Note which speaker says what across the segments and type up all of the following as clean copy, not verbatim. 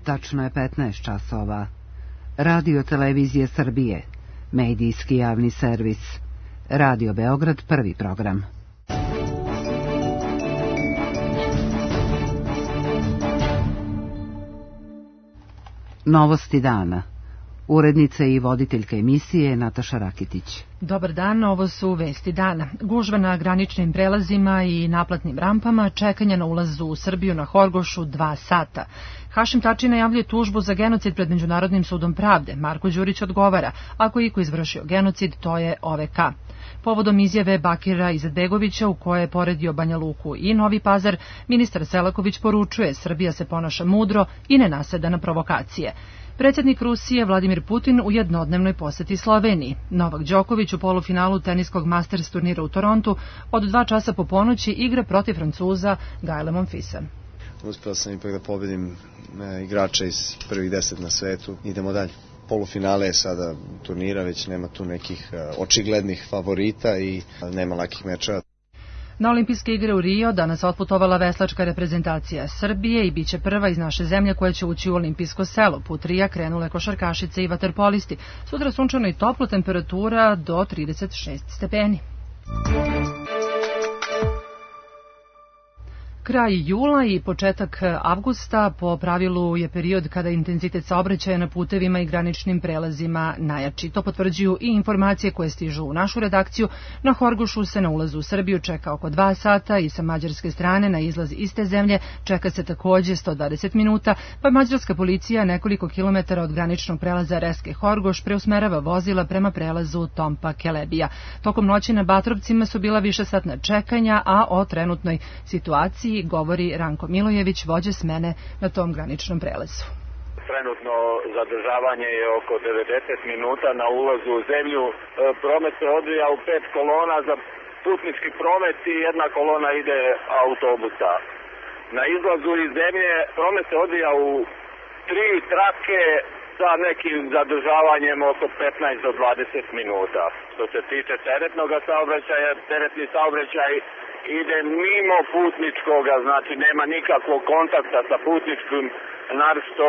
Speaker 1: Tačno je 15 časova. Radio Televizije Srbije, medijski javni servis. Radio Beograd, prvi program. Novosti dana. Urednica i voditeljka emisije Nataša Rakitić.
Speaker 2: Dobar dan, ovo su vesti dana. Gužva na graničnim prelazima i naplatnim rampama, čekanje na ulazu u Srbiju na Horgošu 2 sata. Hašim Tači najavljuje tužbu za genocid pred Međunarodnim sudom pravde. Marko Đurić odgovara, ako je iko izvršio genocid, to je OVK. Povodom izjave Bakira Izetbegovića u kojoj je poredio Banja Luku i Novi Pazar, ministar Selaković poručuje Srbija se ponaša mudro i ne naseda na provokacije. Predsjednik Rusije Vladimir Putin u jednodnevnoj poseti Sloveniji. Novak Đoković u polufinalu teniskog Masters turnira u Torontu od 2 časa po ponoći igra protiv Francuza Gaela Monfilsa.
Speaker 3: Uspeo sam ipak da pobedim igrača iz prvih 10 na svetu. Idemo dalje. Polufinale je sada turnira, već nema tu nekih očiglednih favorita i nema lakih mečeva.
Speaker 2: Na olimpijske igre u Rio danas otputovala veslačka reprezentacija Srbije i biće prva iz naše zemlje koja će ući u olimpijsko selo. Put Rija krenule košarkašice i vaterpolisti. Sutra sunčano i toplo, temperatura do 36 stepeni. Kraj jula i početak avgusta po pravilu je period kada intenzitet saobraćaja na putevima i graničnim prelazima najjači. To potvrđuju i informacije koje stižu u našu redakciju. Na Horgošu se na ulazu u Srbiju čeka oko 2 sata i sa mađarske strane na izlaz iste zemlje čeka se takođe 120 minuta, pa mađarska policija nekoliko kilometara od graničnog prelaza Reske Horgoš preusmerava vozila prema prelazu Tompa Kelebija. Tokom noći na Batrovcima su bila višesatna čekanja, a o trenutnoj situaciji govori Ranko Milojević, vođa smene na tom graničnom prelazu.
Speaker 4: Trenutno zadržavanje je oko 90 minuta na ulazu u zemlju. Promet se odvija u 5 kolona za putnički promet i 1 kolona ide autobusa. Na izlazu iz zemlje promet se odvija u 3 trake sa nekim zadržavanjem oko 15 do 20 minuta. Što se tiče teretnog saobraćaja, teretni saobraćaj ide mimo putničkoga, znači nema nikakvog kontakta sa putničkim, naročito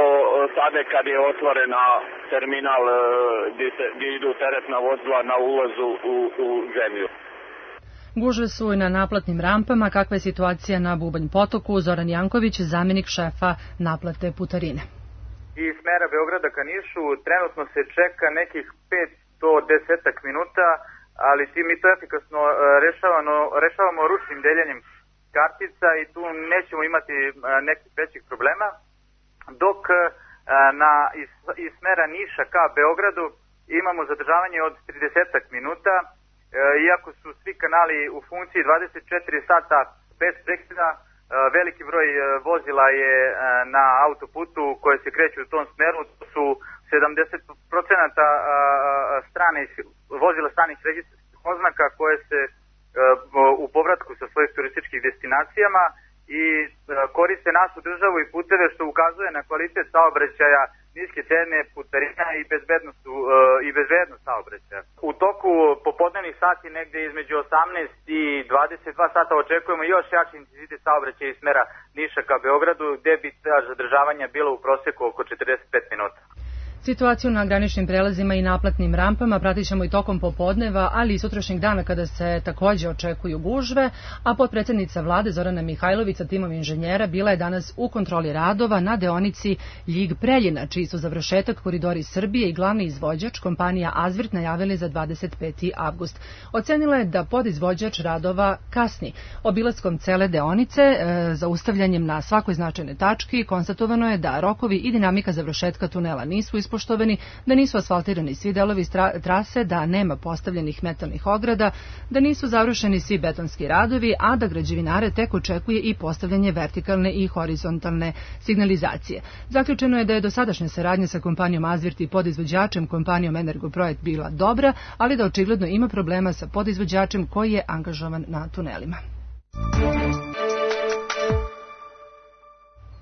Speaker 4: sada kad je otvorena terminal gdje idu teretna vozila na ulazu u zemlju.
Speaker 2: Gužve su i na naplatnim rampama. Kakva je situacija na Bubanj potoku? Zoran Janković, zamjenik šefa naplate putarine.
Speaker 5: Iz smera Beograda ka Nišu trenutno se čeka nekih 5 do 10 minuta, ali mi to efikasno rešavamo ručnim deljenjem kartica i tu nećemo imati nekih većih problema, dok iz smera Niša ka Beogradu imamo zadržavanje od 30 minuta, iako su svi kanali u funkciji 24 sata bez prekida. Veliki broj vozila je na autoputu koje se kreću u tom smeru, to su 70% vozila stranih registarskih oznaka koje se u povratku sa svojih turističkih destinacijama i koriste našu državu i puteve, što ukazuje na kvalitet saobraćaja, niske cene putarina i bezbednost saobraćaja. U toku popodnevnih sati negde između 18 i 22 sata očekujemo još jači intenzitet saobraćaja iz smera Niša ka Beogradu, gde bi zadržavanja bilo u proseku oko 45 minuta.
Speaker 2: Situaciju na graničnim prelazima i naplatnim rampama pratit ćemo i tokom popodneva, ali i sutrašnjeg dana kada se takođe očekuju gužve, a potpredsjednica vlade Zorana Mihajlović sa timom inženjera bila je danas u kontroli radova na deonici Ljig-Preljina, čiji su završetak Koridori Srbije i glavni izvođač kompanija Azvirt najavili za 25. avgust. Ocenila je da podizvođač radova kasni. Obilaskom cele deonice, zaustavljanjem na svakoj značajnoj tački, konstatovano je da rokovi i dinamika završetka tunela nisu ispoštovani, da nisu asfaltirani svi delovi trase, da nema postavljenih metalnih ograda, da nisu završeni svi betonski radovi, a da građevinare tek očekuje i postavljanje vertikalne i horizontalne signalizacije. Zaključeno je da je dosadašnja saradnja sa kompanijom Azvirt i podizvođačem kompanijom Energoprojekt bila dobra, ali da očigledno ima problema sa podizvođačem koji je angažovan na tunelima.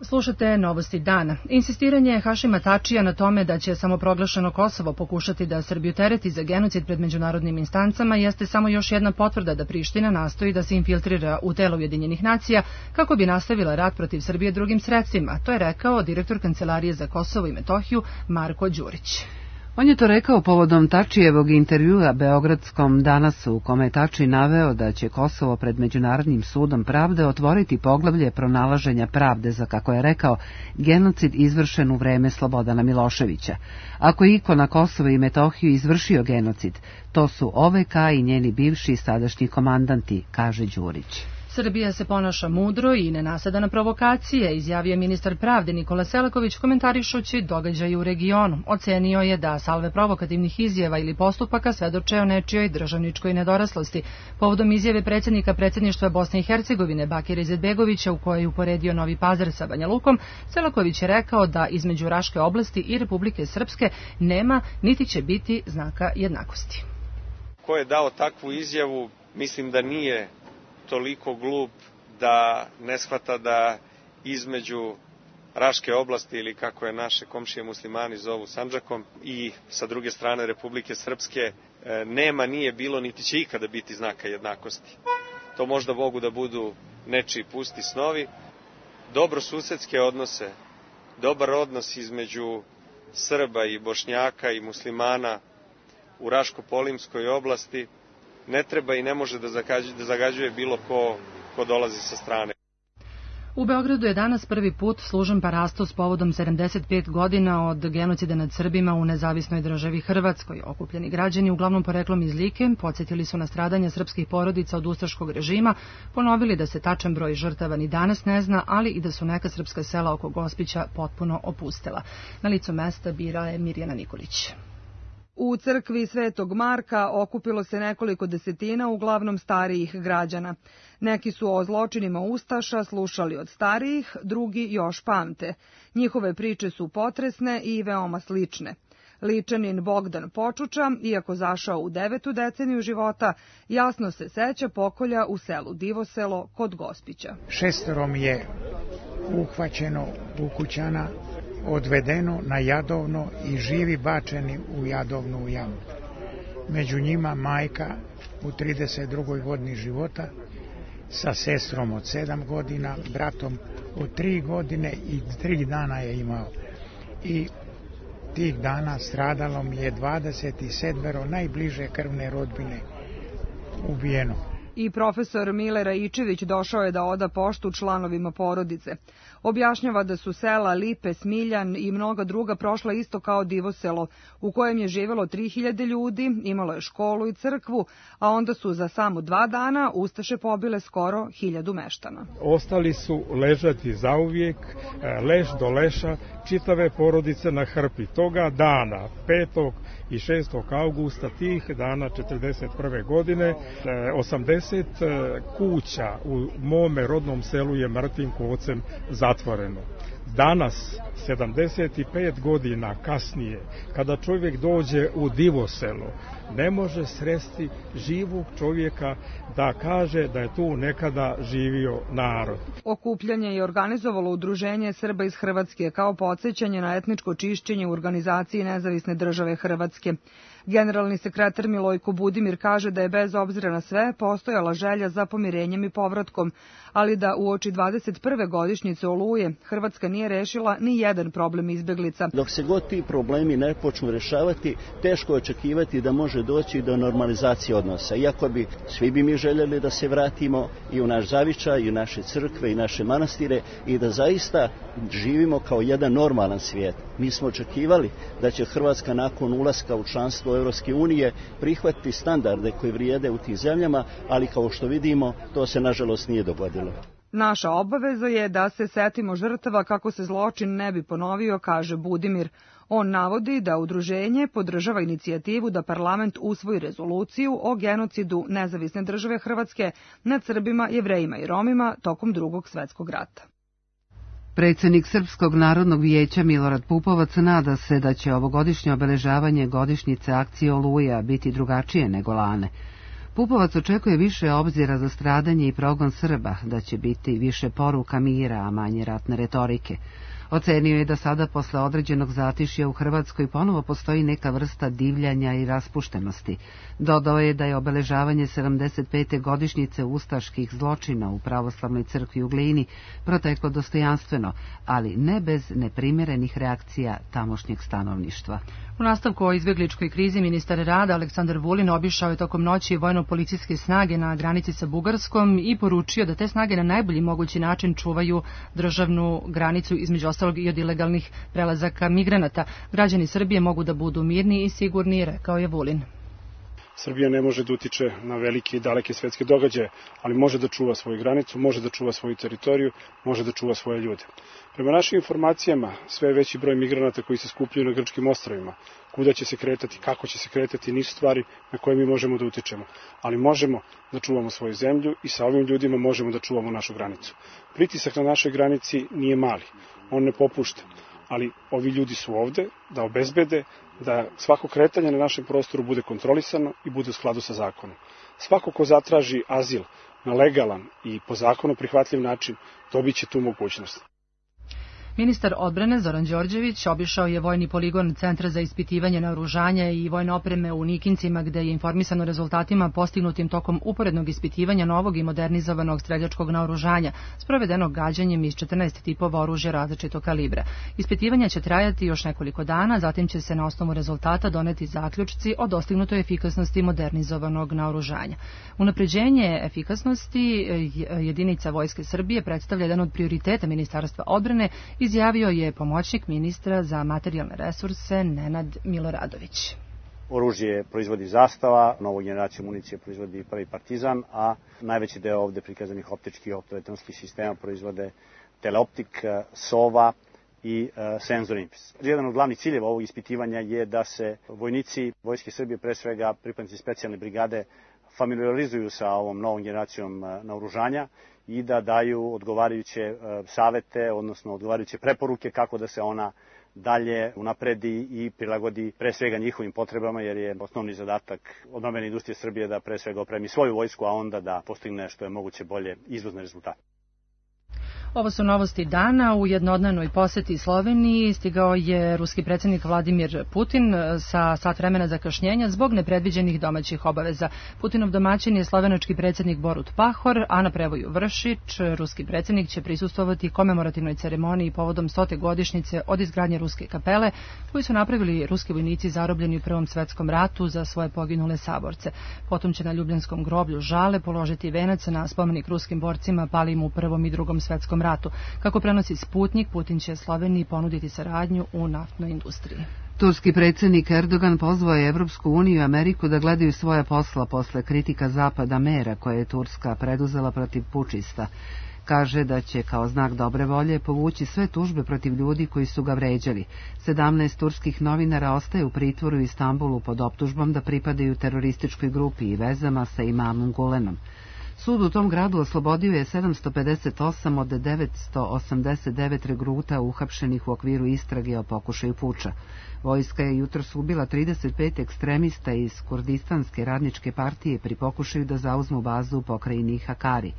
Speaker 2: Slušate Novosti dana. Insistiranje Hašima Tačija na tome da će samoproglašeno Kosovo pokušati da Srbiju tereti za genocid pred međunarodnim instancama jeste samo još jedna potvrda da Priština nastoji da se infiltrira u telo Ujedinjenih nacija kako bi nastavila rat protiv Srbije drugim sredstvima. To je rekao direktor Kancelarije za Kosovo i Metohiju Marko Đurić.
Speaker 1: On je to rekao povodom Tačijevog intervjua Beogradskom Danasu, u kome je Tači naveo da će Kosovo pred Međunarodnim sudom pravde otvoriti poglavlje pronalaženja pravde za, kako je rekao, genocid izvršen u vreme Slobodana Miloševića. Ako je iko na Kosovo i Metohiju izvršio genocid, to su OVK i njeni bivši i sadašnji komandanti, kaže Đurić.
Speaker 2: Srbija se ponaša mudro i ne nasada na provokacije, izjavio ministar pravde Nikola Selaković komentarišući događaje u regionu. Ocenio je da salve provokativnih izjava ili postupaka svedoče o nečijoj državničkoj nedoraslosti. Povodom izjave predsjednika predsjedništva Bosne i Hercegovine Bakira Izetbegovića u kojoj je uporedio Novi Pazar sa Banja Lukom, Selaković je rekao da između Raške oblasti i Republike Srpske nema niti će biti znaka jednakosti.
Speaker 6: Ko je dao takvu izjavu, mislim da nije toliko glup da ne shvata da između Raške oblasti, ili kako je naše komšije muslimani zovu Sandžakom, i sa druge strane Republike Srpske nema, nije bilo, niti će ikada biti znaka jednakosti. To možda mogu da budu nečiji pusti snovi. Dobrosusedske odnose, dobar odnos između Srba i Bošnjaka i muslimana u Raško-Polimskoj oblasti ne treba i ne može da zagađuje bilo ko dolazi sa strane.
Speaker 2: U Beogradu je danas prvi put služen parastos povodom 75 godina od genocida nad Srbima u nezavisnoj državi Hrvatskoj. Okupljeni građani, uglavnom poreklom iz Like, podsjetili su na stradanja srpskih porodica od ustaškog režima, ponovili da se tačan broj žrtava ni danas ne zna, ali i da su neka srpska sela oko Gospića potpuno opustela. Na licu mesta bira je Mirjana Nikolić.
Speaker 7: U crkvi Svetog Marka okupilo se nekoliko desetina, uglavnom starijih građana. Neki su o zločinima ustaša slušali od starijih, drugi još pamte. Njihove priče su potresne i veoma slične. Ličanin Bogdan Počuča, iako zašao u 9. deceniju života, jasno se seća pokolja u selu Divoselo kod Gospića.
Speaker 8: 6 je uhvaćeno ukućana, odvedeno na Jadovno i živi bačeni u Jadovnu jamu. Među njima majka u 32. godini života sa sestrom od 7 godina, bratom od 3 godine i 3 dana je imao. I tih dana stradalo mi je 27 najbliže krvne rodbine ubijeno.
Speaker 7: I profesor Mile Raičević došao je da oda poštu članovima porodice. Objašnjava da su sela Lipe, Smiljan i mnoga druga prošla isto kao Divoselo, u kojem je živelo 3000 ljudi, imalo je školu i crkvu, a onda su za samo 2 dana ustaše pobile skoro 1000 meštana.
Speaker 9: Ostali su ležati zauvijek, leš do leša, čitave porodice na hrpi. Toga dana, 5. i 6. augusta tih dana 1941. godine, 80 kuća u mome rodnom selu je mrtvim kovcem zatvoreno. Danas, 75 godina kasnije, kada čovjek dođe u Divoselo, ne može sresti živog čovjeka da kaže da je tu nekada živio narod.
Speaker 7: Okupljanje je organizovalo Udruženje Srba iz Hrvatske kao podsjećanje na etničko čišćenje u organizaciji Nezavisne države Hrvatske. Generalni sekretar Milojko Budimir kaže da je bez obzira na sve postojala želja za pomirenjem i povratkom, ali da uoči 21. godišnjice Oluje Hrvatska nije rešila ni jedan problem izbeglica.
Speaker 10: Dok se god ti problemi ne počnu rešavati, teško očekivati da može doći do normalizacije odnosa. Iako svi bi mi željeli da se vratimo i u naš zavičaj, i u naše crkve, i naše manastire i da zaista živimo kao jedan normalan svijet. Mi smo očekivali da će Hrvatska nakon ulaska u članstvo Europske unije prihvatiti standarde koji vrijede u tim zemljama, ali kao što vidimo, to se nažalost nije dogodilo.
Speaker 7: Naša obaveza je da se setimo žrtava kako se zločin ne bi ponovio, kaže Budimir. On navodi da udruženje podržava inicijativu da parlament usvoji rezoluciju o genocidu Nezavisne države Hrvatske nad Srbima, Jevrejima i Romima tokom Drugog svjetskog rata.
Speaker 1: Predsjednik Srpskog narodnog vijeća Milorad Pupovac nada se da će ovogodišnje obeležavanje godišnjice akcije Oluja biti drugačije nego lane. Pupovac očekuje više obzira za stradanje i progon Srba, da će biti više poruka mira, a manje ratne retorike. Ocenio je da sada posle određenog zatišja u Hrvatskoj ponovo postoji neka vrsta divljanja i raspuštenosti. Dodao je da je obeležavanje 75. godišnjice ustaških zločina u pravoslavnoj crkvi u Glini proteklo dostojanstveno, ali ne bez neprimjerenih reakcija tamošnjeg stanovništva.
Speaker 2: U nastavku o izbjegličkoj krizi ministar rada Aleksandar Vulin obišao je tokom noći vojno-policijske snage na granici sa Bugarskom i poručio da te snage na najbolji mogući način čuvaju državnu granicu, između ostalog i od ilegalnih prelazaka migranata. Građani Srbije mogu da budu mirni i sigurni, rekao je Vulin.
Speaker 11: Srbija ne može da utiče na velike i daleke svetske događaje, ali može da čuva svoju granicu, može da čuva svoju teritoriju, može da čuva svoje ljude. Prema našim informacijama, sve je veći broj migranata koji se skupljaju na grčkim ostrvima. Kuda će se kretati, kako će se kretati, nisu stvari na koje mi možemo da utičemo, ali možemo da čuvamo svoju zemlju i sa ovim ljudima možemo da čuvamo našu granicu. Pritisak na našoj granici nije mali, on ne popušta, ali ovi ljudi su ovde da obezbede da svako kretanje na našem prostoru bude kontrolisano i bude u skladu sa zakonom. Svako ko zatraži azil na legalan i po zakonu prihvatljiv način dobit će tu mogućnost.
Speaker 2: Ministar odbrane Zoran Đorđević obišao je vojni poligon Centra za ispitivanje naoružanja i vojne opreme u Nikincima, gde je informisan o rezultatima postignutim tokom uporednog ispitivanja novog i modernizovanog streljačkog naoružanja, sprovedenog gađanjem iz 14 tipova oružja različitog kalibra. Ispitivanja će trajati još nekoliko dana, zatim će se na osnovu rezultata doneti zaključci o dostignutoj efikasnosti modernizovanog naoružanja. Unapređenje efikasnosti jedinica Vojske Srbije predstavlja jedan od prioriteta Ministarstva odbrane, izjavio je pomoćnik ministra za materijalne resurse Nenad Miloradović.
Speaker 12: Oružje proizvodi Zastava, novu generaciju municije proizvodi Prvi Partizan, a najveći deo ovde prikazanih optičkih i optoelektronskih sistema proizvode Teleoptik, Sova i Senzor Impis. Jedan od glavnih ciljeva ovog ispitivanja je da se vojnici Vojske Srbije, pre svega pripadnici specijalne brigade, familiarizuju sa ovom novom generacijom naoružanja i da daju odgovarajuće savete, odnosno odgovarajuće preporuke kako da se ona dalje unapredi i prilagodi pre svega njihovim potrebama, jer je osnovni zadatak odbrambene industrije Srbije da pre svega opremi svoju vojsku, a onda da postigne što je moguće bolje izvozne rezultate.
Speaker 2: Ovo su novosti dana. U jednodnevnoj poseti Sloveniji stigao je ruski predsjednik Vladimir Putin sa sat vremena zakašnjenja zbog nepredviđenih domaćih obaveza. Putinov domaćin je slovenački predsjednik Borut Pahor, a na prevoju Vršić ruski predsjednik će prisustvovati komemorativnoj ceremoniji povodom 100. godišnjice od izgradnje ruske kapele koju su napravili ruski vojnici zarobljeni u Prvom svetskom ratu za svoje poginule saborce. Potom će na Ljubljanskom groblju Žale položiti venac na spomenik ruskim borcima palim u Prvom i Drugom svetskom ratu. Kako prenosi Sputnik, Putin će Sloveniji ponuditi saradnju u naftnoj industriji.
Speaker 1: Turski predsjednik Erdogan pozvao je Evropsku uniju i Ameriku da gledaju svoja posla posle kritika Zapada mera koje je Turska preduzela protiv pučista. Kaže da će kao znak dobre volje povući sve tužbe protiv ljudi koji su ga vređali. 17 turskih novinara ostaje u pritvoru u Istanbulu pod optužbom da pripadaju terorističkoj grupi i vezama sa imamom Gulenom. Sud u tom gradu oslobodio je 758 od 989 regruta uhapšenih u okviru istrage o pokušaju puča. Vojska je jutros ubila 35 ekstremista iz Kurdistanske radničke partije pri pokušaju da zauzmu bazu u pokrajini Hakari.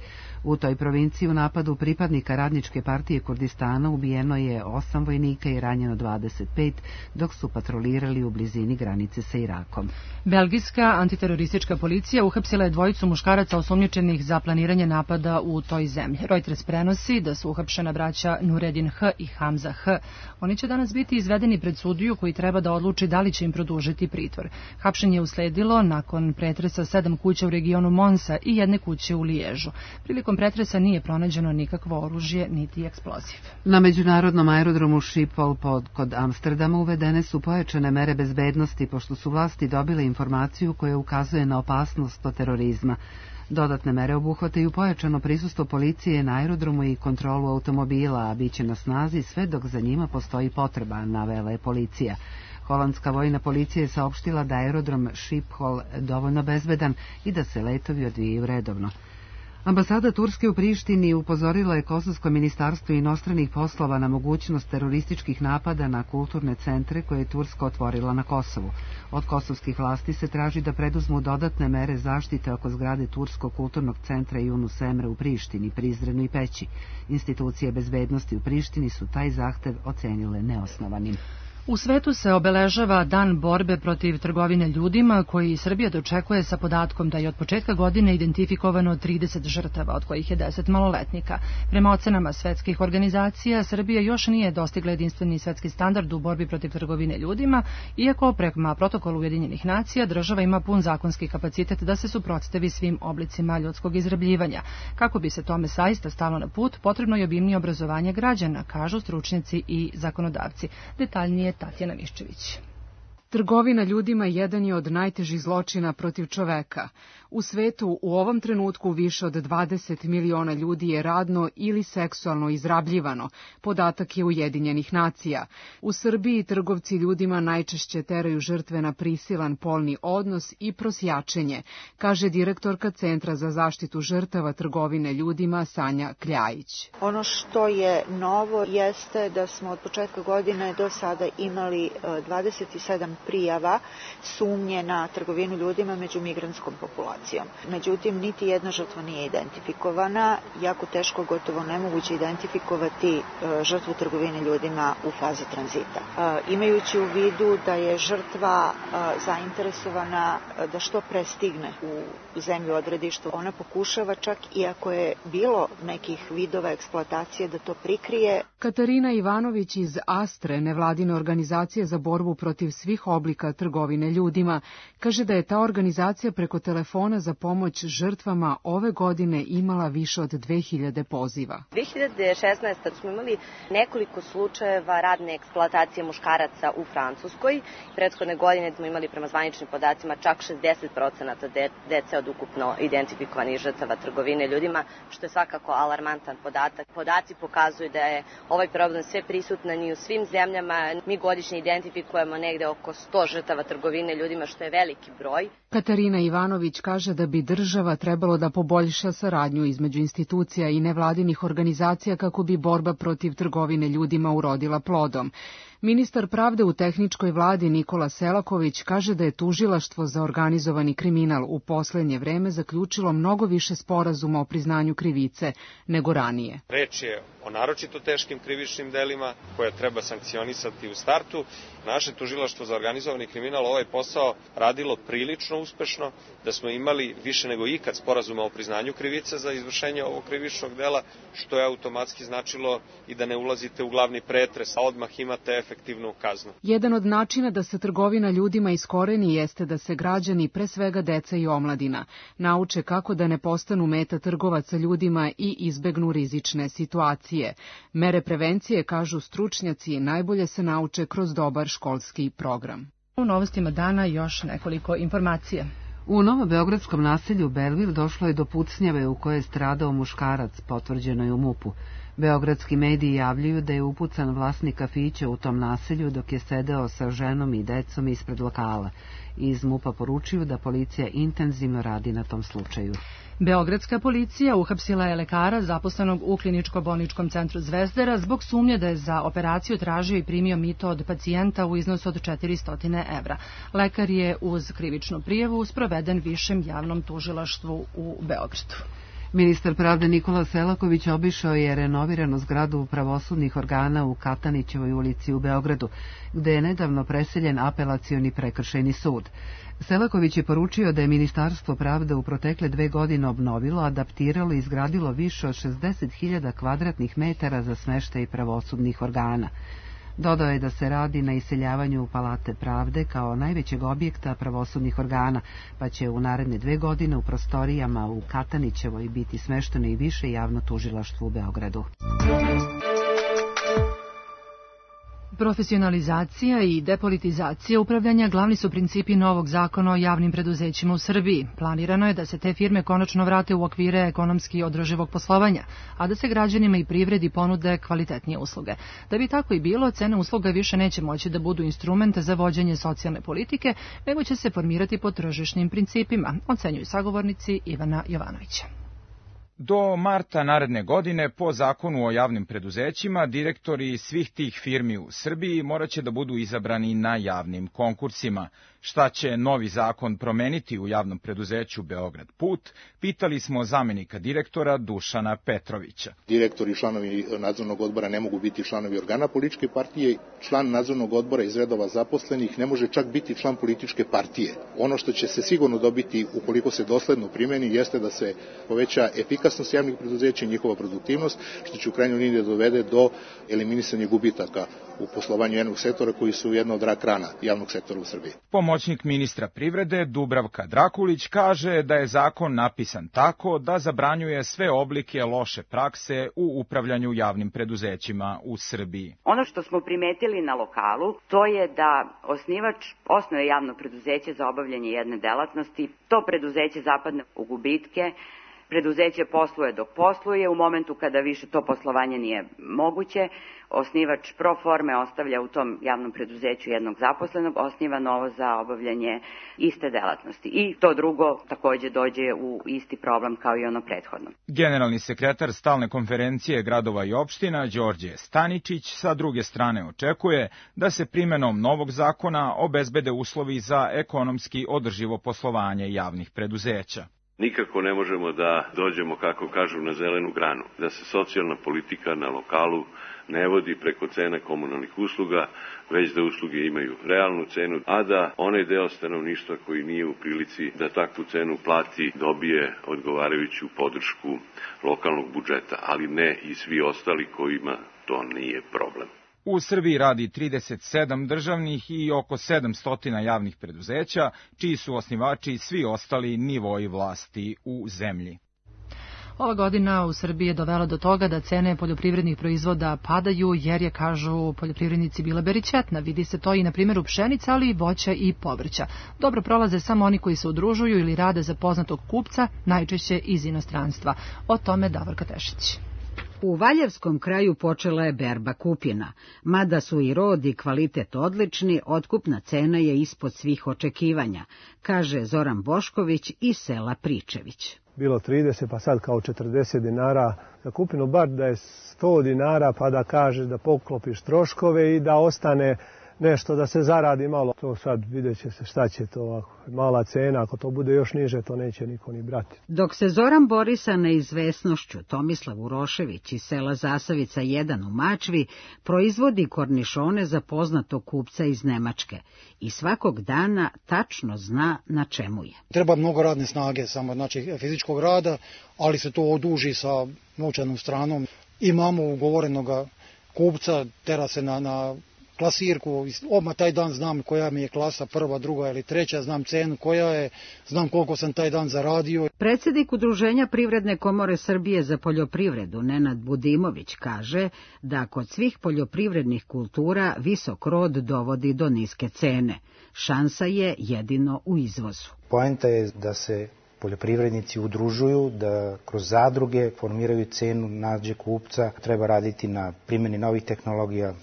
Speaker 1: U toj provinciji u napadu pripadnika radničke partije Kurdistana ubijeno je 8 vojnika i ranjeno 25, dok su patrolirali u blizini granice sa Irakom.
Speaker 2: Belgijska antiteroristička policija uhapsila je dvojicu muškaraca osumnjičenih za planiranje napada u toj zemlji. Reuters prenosi da su uhapšena braća Nureddin H. i Hamza H. Oni će danas biti izvedeni pred sudiju koji treba da odluči da li će im produžiti pritvor. Hapšenje je usledilo nakon pretresa 7 kuća u regionu Monsa i jedne kuće u Liježu. Prilikom pretresa nije pronađeno nikakvo oružje niti eksploziv.
Speaker 1: Na međunarodnom aerodromu Schiphol kod Amsterdama uvedene su pojačane mere bezbednosti pošto su vlasti dobile informaciju koja ukazuje na opasnost od terorizma. Dodatne mere obuhvataju pojačano prisustvo policije na aerodromu i kontrolu automobila, a bit će na snazi sve dok za njima postoji potreba, navela je policija. Holandska vojna policija je saopštila da aerodrom Schiphol dovoljno bezbedan i da se letovi odvijaju redovno. Ambasada Turske u Prištini upozorila je Kosovsko ministarstvo inostranih poslova na mogućnost terorističkih napada na kulturne centre koje je Turska otvorila na Kosovu. Od kosovskih vlasti se traži da preduzmu dodatne mere zaštite oko zgrade Turskog kulturnog centra Yunus Emre u Prištini, Prizrenu i Peći. Institucije bezbednosti u Prištini su taj zahtev ocenile neosnovanim.
Speaker 2: U svetu se obeležava Dan borbe protiv trgovine ljudima, koji Srbija dočekuje sa podatkom da je od početka godine identifikovano 30 žrtava, od kojih je 10 maloletnika. Prema ocenama svetskih organizacija, Srbija još nije dostigla jedinstveni svetski standard u borbi protiv trgovine ljudima, iako prema protokolu Ujedinjenih nacija država ima pun zakonski kapacitet da se suprotstavi svim oblicima ljudskog izrabljivanja. Kako bi se tome zaista stalo na put, potrebno je obimnije obrazovanje građana, kažu stručnjaci i zakonodavci. Detaljnije Tatjana Miščević.
Speaker 13: Trgovina ljudima jedan je od najtežih zločina protiv čoveka. U svetu u ovom trenutku više od 20 miliona ljudi je radno ili seksualno izrabljivano, podatak je Ujedinjenih nacija. U Srbiji trgovci ljudima najčešće teraju žrtve na prisilan polni odnos i prosjačenje, kaže direktorka Centra za zaštitu žrtava trgovine ljudima Sanja Kljajić.
Speaker 14: Ono što je novo jeste da smo od početka godine do sada imali 27 prijava sumnje na trgovinu ljudima među migrantskom populacijom. Međutim, niti jedna žrtva nije identifikovana, jako teško, gotovo nemoguće identifikovati žrtvu trgovine ljudima u fazi tranzita. Imajući u vidu da je žrtva zainteresovana da što pre stigne u zemlju odredišta, ona pokušava čak i ako je bilo nekih vidova eksploatacije da to prikrije.
Speaker 13: Katarina Ivanović iz Astre, nevladine organizacije za borbu protiv svih oblika trgovine ljudima, kaže da je ta organizacija preko telefona za pomoć žrtvama ove godine imala više od 2000 poziva.
Speaker 15: 2016. smo imali nekoliko slučajeva radne eksploatacije muškaraca u Francuskoj. Prethodne godine smo imali prema zvaničnim podacima čak 60% dece od ukupno identifikovanih žrtava trgovine ljudima, što je svakako alarmantan podatak. Podaci pokazuju da je ovaj problem sve prisutan i u svim zemljama. Mi godišnje identifikujemo negde oko 100 žrtava trgovine ljudima, što je veliki broj.
Speaker 13: Katarina Ivanović kaže da bi država trebalo da poboljša saradnju između institucija i nevladinih organizacija kako bi borba protiv trgovine ljudima urodila plodom. Ministar pravde u tehničkoj vladi Nikola Selaković kaže da je tužilaštvo za organizovani kriminal u poslednje vreme zaključilo mnogo više sporazuma o priznanju krivice nego ranije.
Speaker 6: Reč je o naročito teškim krivičnim delima koje treba sankcionisati u startu. Naše tužilaštvo za organizovani kriminal ovaj posao radilo prilično uspešno, da smo imali više nego ikad sporazuma o priznanju krivice za izvršenje ovog krivičnog dela, što je automatski značilo i da ne ulazite u glavni pretres, a odmah imate efektivnu kaznu.
Speaker 13: Jedan od načina da se trgovina ljudima iskoreni jeste da se građani, pre svega deca i omladina, nauče kako da ne postanu meta trgovaca ljudima i izbegnu rizične situacije. Mere prevencije, kažu stručnjaci, najbolje se nauče kroz dobar školski program.
Speaker 2: U novostima dana još nekoliko informacija.
Speaker 1: U novobeogradskom naselju Belvil došlo je do pucnjave u kojoj je stradao muškarac, potvrđeno je u MUP-u. Beogradski mediji javljaju da je upucan vlasnik kafića u tom naselju dok je sedeo sa ženom i decom ispred lokala. Iz MUP-a poručuju da policija intenzivno radi na tom slučaju.
Speaker 2: Beogradska policija uhapsila je lekara zaposlenog u kliničko-bolničkom centru Zvezdara zbog sumnje da je za operaciju tražio i primio mito od pacijenta u iznosu od 400 evra. Lekar je uz krivičnu prijavu sproveden višem javnom tužilaštvu u Beogradu.
Speaker 1: Ministar pravde Nikola Selaković obišao je renoviranu zgradu pravosudnih organa u Katanićevoj ulici u Beogradu, gde je nedavno preseljen apelacioni prekršajni sud. Selaković je poručio da je Ministarstvo pravde u protekle 2 godine obnovilo, adaptiralo i izgradilo više od 60.000 kvadratnih metara za smeštaj pravosudnih organa. Dodao je da se radi na iseljavanju u Palate pravde kao najvećeg objekta pravosudnih organa, pa će u naredne 2 godine u prostorijama u Katanićevoj biti smešteno i više javno tužilaštvo u Beogradu.
Speaker 2: Profesionalizacija i depolitizacija upravljanja glavni su principi novog zakona o javnim preduzećima u Srbiji. Planirano je da se te firme konačno vrate u okvire ekonomski održivog poslovanja, a da se građanima i privredi ponude kvalitetnije usluge. Da bi tako i bilo, cene usluga više neće moći da budu instrument za vođenje socijalne politike, nego će se formirati po tržišnim principima, ocenjuju sagovornici Ivana Jovanovića.
Speaker 16: Do marta naredne godine, po zakonu o javnim preduzećima, direktori svih tih firmi u Srbiji moraće da budu izabrani na javnim konkursima. Šta će novi zakon promeniti u javnom preduzeću Beograd Put, pitali smo zamenika direktora Dušana Petrovića.
Speaker 17: Direktori i članovi nadzornog odbora ne mogu biti članovi organa političke partije. Član nadzornog odbora iz redova zaposlenih ne može čak biti član političke partije. Ono što će se sigurno dobiti ukoliko se dosledno primeni jeste da se poveća efikasnost javnih preduzeća i njihova produktivnost, što će u krajnjoj liniji dovede do eliminisanja gubitaka u poslovanju jednog sektora koji su jedna od rak rana javnog sektora u Srbiji.
Speaker 16: Pomoćnik ministra privrede Dubravka Drakulić kaže da je zakon napisan tako da zabranjuje sve oblike loše prakse u upravljanju javnim preduzećima u Srbiji.
Speaker 18: Ono što smo primetili na lokalu, to je da osnivač osnuje javno preduzeće za obavljanje jedne delatnosti, to preduzeće zapadne u gubitke, preduzeće posluje dok posluje, u momentu kada više to poslovanje nije moguće, osnivač pro forme ostavlja u tom javnom preduzeću jednog zaposlenog, osniva novo za obavljanje iste delatnosti. I to drugo takođe dođe u isti problem kao i ono prethodno.
Speaker 16: Generalni sekretar Stalne konferencije gradova i opština Đorđe Staničić sa druge strane očekuje da se primenom novog zakona obezbede uslovi za ekonomski održivo poslovanje javnih preduzeća.
Speaker 19: Nikako ne možemo da dođemo, kako kažu, na zelenu granu, da se socijalna politika na lokalu ne vodi preko cena komunalnih usluga, već da usluge imaju realnu cenu, a da onaj deo stanovništva koji nije u prilici da takvu cenu plati dobije odgovarajuću podršku lokalnog budžeta, ali ne i svi ostali kojima to nije problem.
Speaker 16: U Srbiji radi 37 državnih i oko 700 javnih preduzeća, čiji su osnivači svi ostali nivoi vlasti u zemlji.
Speaker 2: Ova godina u Srbiji je dovela do toga da cene poljoprivrednih proizvoda padaju jer je, kažu poljoprivrednici, bila beričetna. Vidi se to i na primjeru pšenice, ali i voća i povrća. Dobro prolaze samo oni koji se udružuju ili rade za poznatog kupca, najčešće iz inostranstva. O tome Davorka Tešić.
Speaker 20: U Valjevskom kraju počela je berba kupina. Mada su i rod i kvalitet odlični, otkupna cena je ispod svih očekivanja, kaže Zoran Bošković iz sela Pričević.
Speaker 21: Bilo 30, pa sad kao 40 dinara za kupinu, bar da je 100 dinara, pa da kažeš da poklopiš troškove i da ostane nešto, da se zaradi malo. To sad vidjet će se šta će to, mala cena, ako to bude još niže, to neće niko ni brati.
Speaker 20: Dok se Zoran bori sa neizvesnošću, Tomislav Urošević iz sela Zasavica 1 u Mačvi proizvodi kornišone za poznatog kupca iz Nemačke i svakog dana tačno zna na čemu je.
Speaker 22: Treba mnogo radne snage, samo znači fizičkog rada, ali se to oduži sa novčanom stranom. Imamo ugovorenog kupca, tera se na klasirku, odmah taj dan znam koja mi je klasa, prva, druga ili treća, znam cenu koja je, znam koliko sam taj dan zaradio.
Speaker 20: Predsjednik Udruženja Privredne komore Srbije za poljoprivredu, Nenad Budimović, kaže da kod svih poljoprivrednih kultura visok rod dovodi do niske cene. Šansa je jedino u izvozu.
Speaker 23: Poenta je da se poljoprivrednici udružuju, da kroz zadruge formiraju cenu, nađe kupca, treba raditi na primjeni novih tehnologija,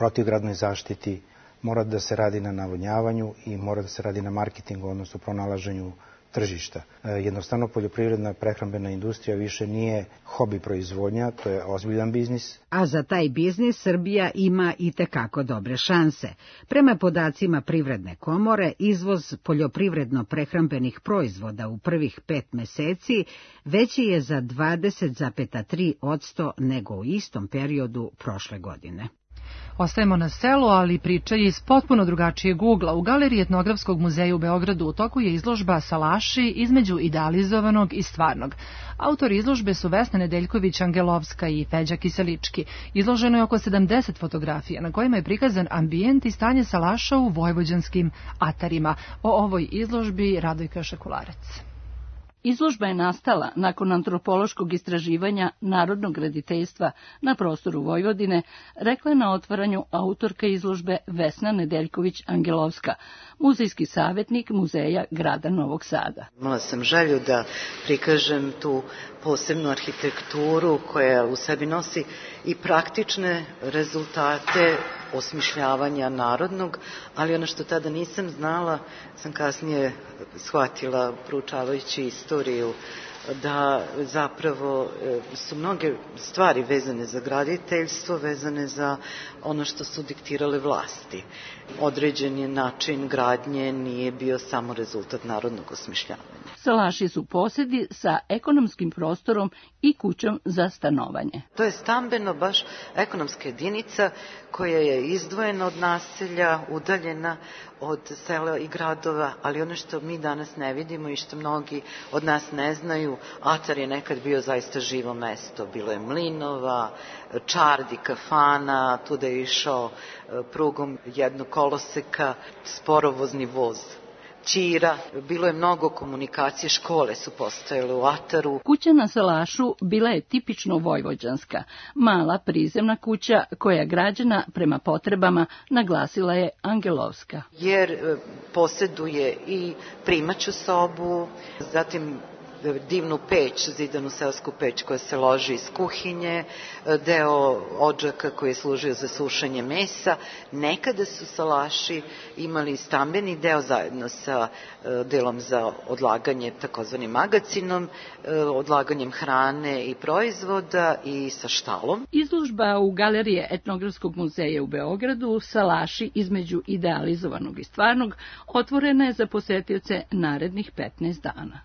Speaker 23: protivgradnoj zaštiti, mora da se radi na navodnjavanju i mora da se radi na marketingu, odnosno pronalaženju tržišta. Jednostavno, poljoprivredna prehrambena industrija više nije hobi proizvodnja, to je ozbiljan biznis.
Speaker 20: A za taj biznis Srbija ima i tekako dobre šanse. Prema podacima Privredne komore, izvoz poljoprivredno-prehrambenih proizvoda u prvih 5 meseci veći je za 20,3% nego u istom periodu prošle godine.
Speaker 2: Ostajemo na selu, ali priča je iz potpuno drugačijeg ugla. U Galeriji Etnografskog muzeja u Beogradu u toku je izložba Salaši između idealizovanog i stvarnog. Autori izložbe su Vesna Nedeljković-Angelovska i Feđa Kiselički. Izloženo je oko 70 fotografija na kojima je prikazan ambijent i stanje salaša u vojvođanskim atarima. O ovoj izložbi Radojka Šakularac.
Speaker 24: Izložba je nastala nakon antropološkog istraživanja narodnog graditeljstva na prostoru Vojvodine, rekla je na otvaranju autorka izložbe Vesna Nedeljković-Angelovska, muzejski savjetnik Muzeja grada Novog Sada.
Speaker 25: Imala sam želju da prikažem tu posebnu arhitekturu koja u sebi nosi i praktične rezultate osmišljavanja narodnog, ali ono što tada nisam znala, sam kasnije shvatila proučavajući istoriju da zapravo su mnoge stvari vezane za graditeljstvo, vezane za ono što su diktirale vlasti. Određen je način gradnje nije bio samo rezultat narodnog osmišljavanja.
Speaker 24: Salaši su posedi sa ekonomskim prostorom i kućom za stanovanje.
Speaker 25: To je stambeno baš ekonomska jedinica koja je izdvojena od naselja, udaljena od sela i gradova, ali ono što mi danas ne vidimo i što mnogi od nas ne znaju, Atar je nekad bio zaista živo mesto. Bilo je mlinova, čardi, kafana, tuda je išao prugom jednog koloseka sporovozni voz. Ćira, bilo je mnogo komunikacije, škole su postojale u Ataru.
Speaker 24: Kuća na Salašu bila je tipično vojvođanska, mala prizemna kuća koja je građena prema potrebama, naglasila je Angelovska.
Speaker 25: Jer posjeduje i primaću sobu, zatim divnu peć, zidanu seosku peć koja se loži iz kuhinje, deo odžaka koji je služio za sušenje mesa. Nekada su salaši imali stambeni deo zajedno sa delom za odlaganje, takozvanim magacinom, odlaganjem hrane i proizvoda i sa štalom.
Speaker 24: Izložba u Galerije Etnografskog muzeja u Beogradu Salaši između idealizovanog i stvarnog otvorena je za posetioce narednih 15 dana.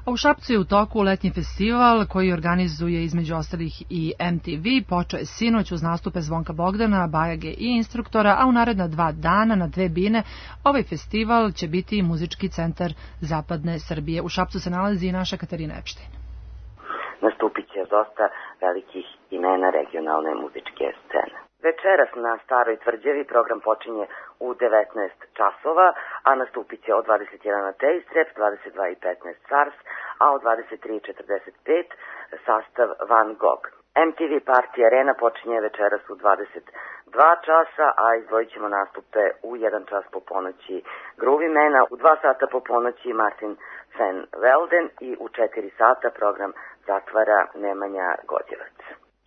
Speaker 2: A u Šapcu je u toku letnji festival koji organizuje između ostalih i MTV. Počeo je sinoć uz nastupe Zvonka Bogdana, Bajage i instruktora, a u naredna 2 dana na 2 bine ovaj festival će biti i muzički centar Zapadne Srbije. U Šapcu se nalazi i naša Katarina Epštajn.
Speaker 3: Nastupit će dosta velikih imena regionalne muzičke scene. Večeras na Staroj tvrđavi program počinje u 19 časova, a nastupit će od 21 na Tejstrep, 22:15 Cars, a od 23:45 sastav Van Gogh. MTV Party Arena počinje večeras u 22 časa, a izdvojit ćemo nastupe u 1 čas po ponoći Groovy Mena, u 2 sata po ponoći Martin van Velden i u 4 sata program zatvara Nemanja Godjevac.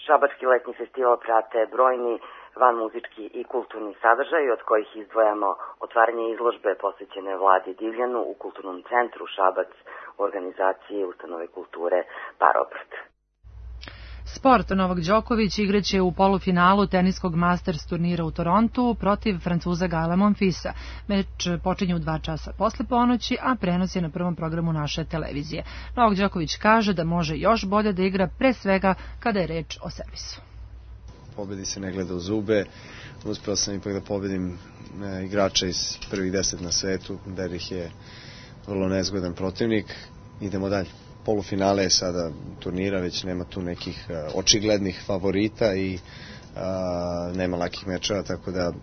Speaker 3: Šabački letnji festival prate brojni van muzički i kulturni sadržaj, od kojih izdvojamo otvaranje izložbe posvećene Vladi Divljanu u Kulturnom centru Šabac u organizaciji Ustanove kulture Parobrat.
Speaker 2: Sport. Novak Đoković igraće u polufinalu teniskog Masters turnira u Torontu protiv Francuza Gaela Monfilsa. Meč počinje u 2 časa posle ponoći, a prenos je na prvom programu naše televizije. Novak Đoković kaže da može još bolje da igra, pre svega kada je reč o servisu.
Speaker 4: Pobedi se ne gleda u zube. Uspeo sam ipak da pobedim igrača iz prvih 10 na svetu. Derih je vrlo nezgodan protivnik. Idemo dalje. Polufinale je sada turnira, već nema tu nekih očiglednih favorita i nema lakih mečeva, tako da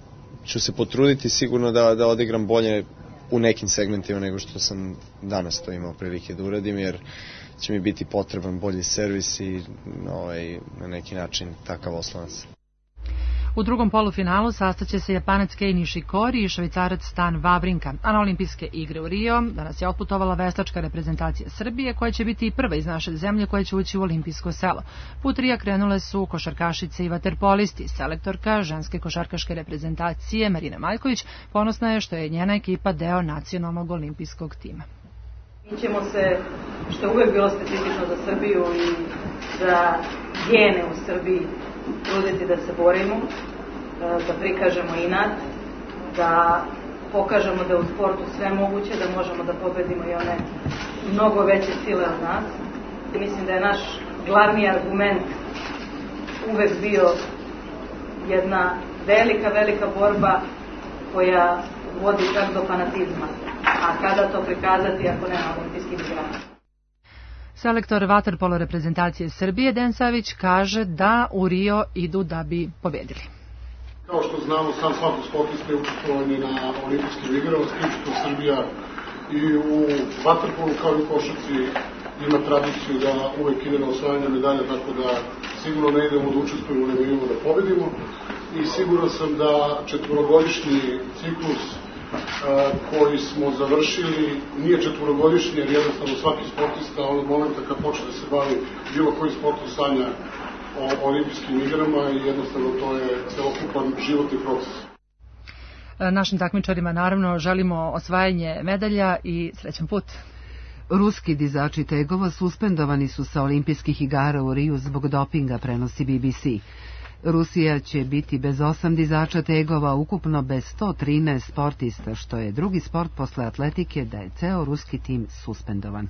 Speaker 4: ću se potruditi sigurno da odigram bolje u nekim segmentima nego što sam danas to imao prilike da uradim, jer će mi biti potreban bolji servis i na neki način takav oslonac.
Speaker 2: U drugom polufinalu sastaće se Japanac Kei Nishikori i Švajcarac Stan Wawrinka, a na olimpijske igre u Rio danas je otputovala veslačka reprezentacija Srbije, koja će biti i prva iz naše zemlje koja će ući u olimpijsko selo. Put Rija krenule su košarkašice i vaterpolisti. Selektorka ženske košarkaške reprezentacije Marina Maljković ponosna je što je njena ekipa deo nacionalnog olimpijskog tima.
Speaker 5: Mi ćemo se, što je uvek bilo specifično za Srbiju i za gene u Srbiji, truditi da se borimo, da prikažemo inat, da pokažemo da je u sportu sve moguće, da možemo da pobedimo i one mnogo veće sile od nas. Mislim da je naš glavni argument uvek bio jedna velika borba koja vodi čak do fanatizma. A kada to prikazati ako nema olimpijskih igara?
Speaker 2: Selektor vaterpolo reprezentacije Srbije Dejan Savić kaže da u Rio idu da bi pobedili.
Speaker 8: Kao što znamo, sam svaki sportista je učestvovanje na olimpijskim igrama, s tim što Srbija i u vaterpolu kao i u košarci ima tradiciju da uvek ide na osvajanje medalja, tako da sigurno ne idemo da učestvujemo, nego idemo da pobedimo. I siguran sam da 4-godišnji ciklus koji smo završili nije 4-godišnji, jer jednostavno svaki sportista od momenta kad počne da se bavi bilo koji sportom sanja o olimpijskim igrama i jednostavno to je celokupan životni proces.
Speaker 2: Našim takmičarima naravno želimo osvajanje medalja i srećan put.
Speaker 1: Ruski dizači tegova suspendovani su sa olimpijskih igara u Riju zbog dopinga, prenosi BBC. Rusija će biti bez 8 dizača tegova, ukupno bez 113 sportista, što je drugi sport posle atletike da je ceo ruski tim suspendovan.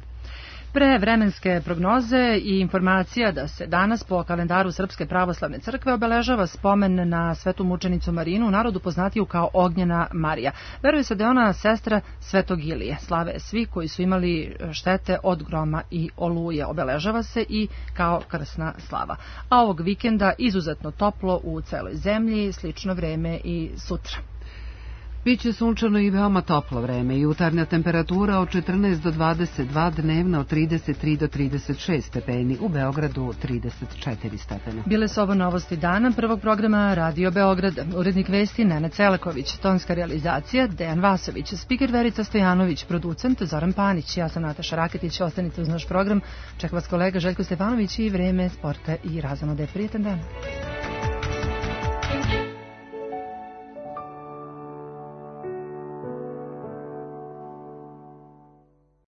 Speaker 2: Pre vremenske prognoze i informacija da se danas po kalendaru Srpske pravoslavne crkve obeležava spomen na svetu mučenicu Marinu, u narodu poznatiju kao Ognjena Marija. Veruje se da je ona sestra Svetog Ilije. Slave svi koji su imali štete od groma i oluje. Obeležava se i kao krsna slava. A ovog vikenda izuzetno toplo u celoj zemlji, slično vreme i sutra.
Speaker 1: Biće sunčano i veoma toplo vreme, jutarnja temperatura od 14 do 22, dnevna od 33 do 36 stepeni, u Beogradu 34 stepena.
Speaker 2: Bile su ovo novosti dana prvog programa Radio Beograd. Urednik vesti Nena Celeković, tonska realizacija Dejan Vasović, spiker Verica Stojanović, producent Zoran Panić, ja sam Nataša Raketić, ostanite uz naš program. Čeka vas kolega Željko Stefanović i vreme sporta i razonode. Prijetan dan.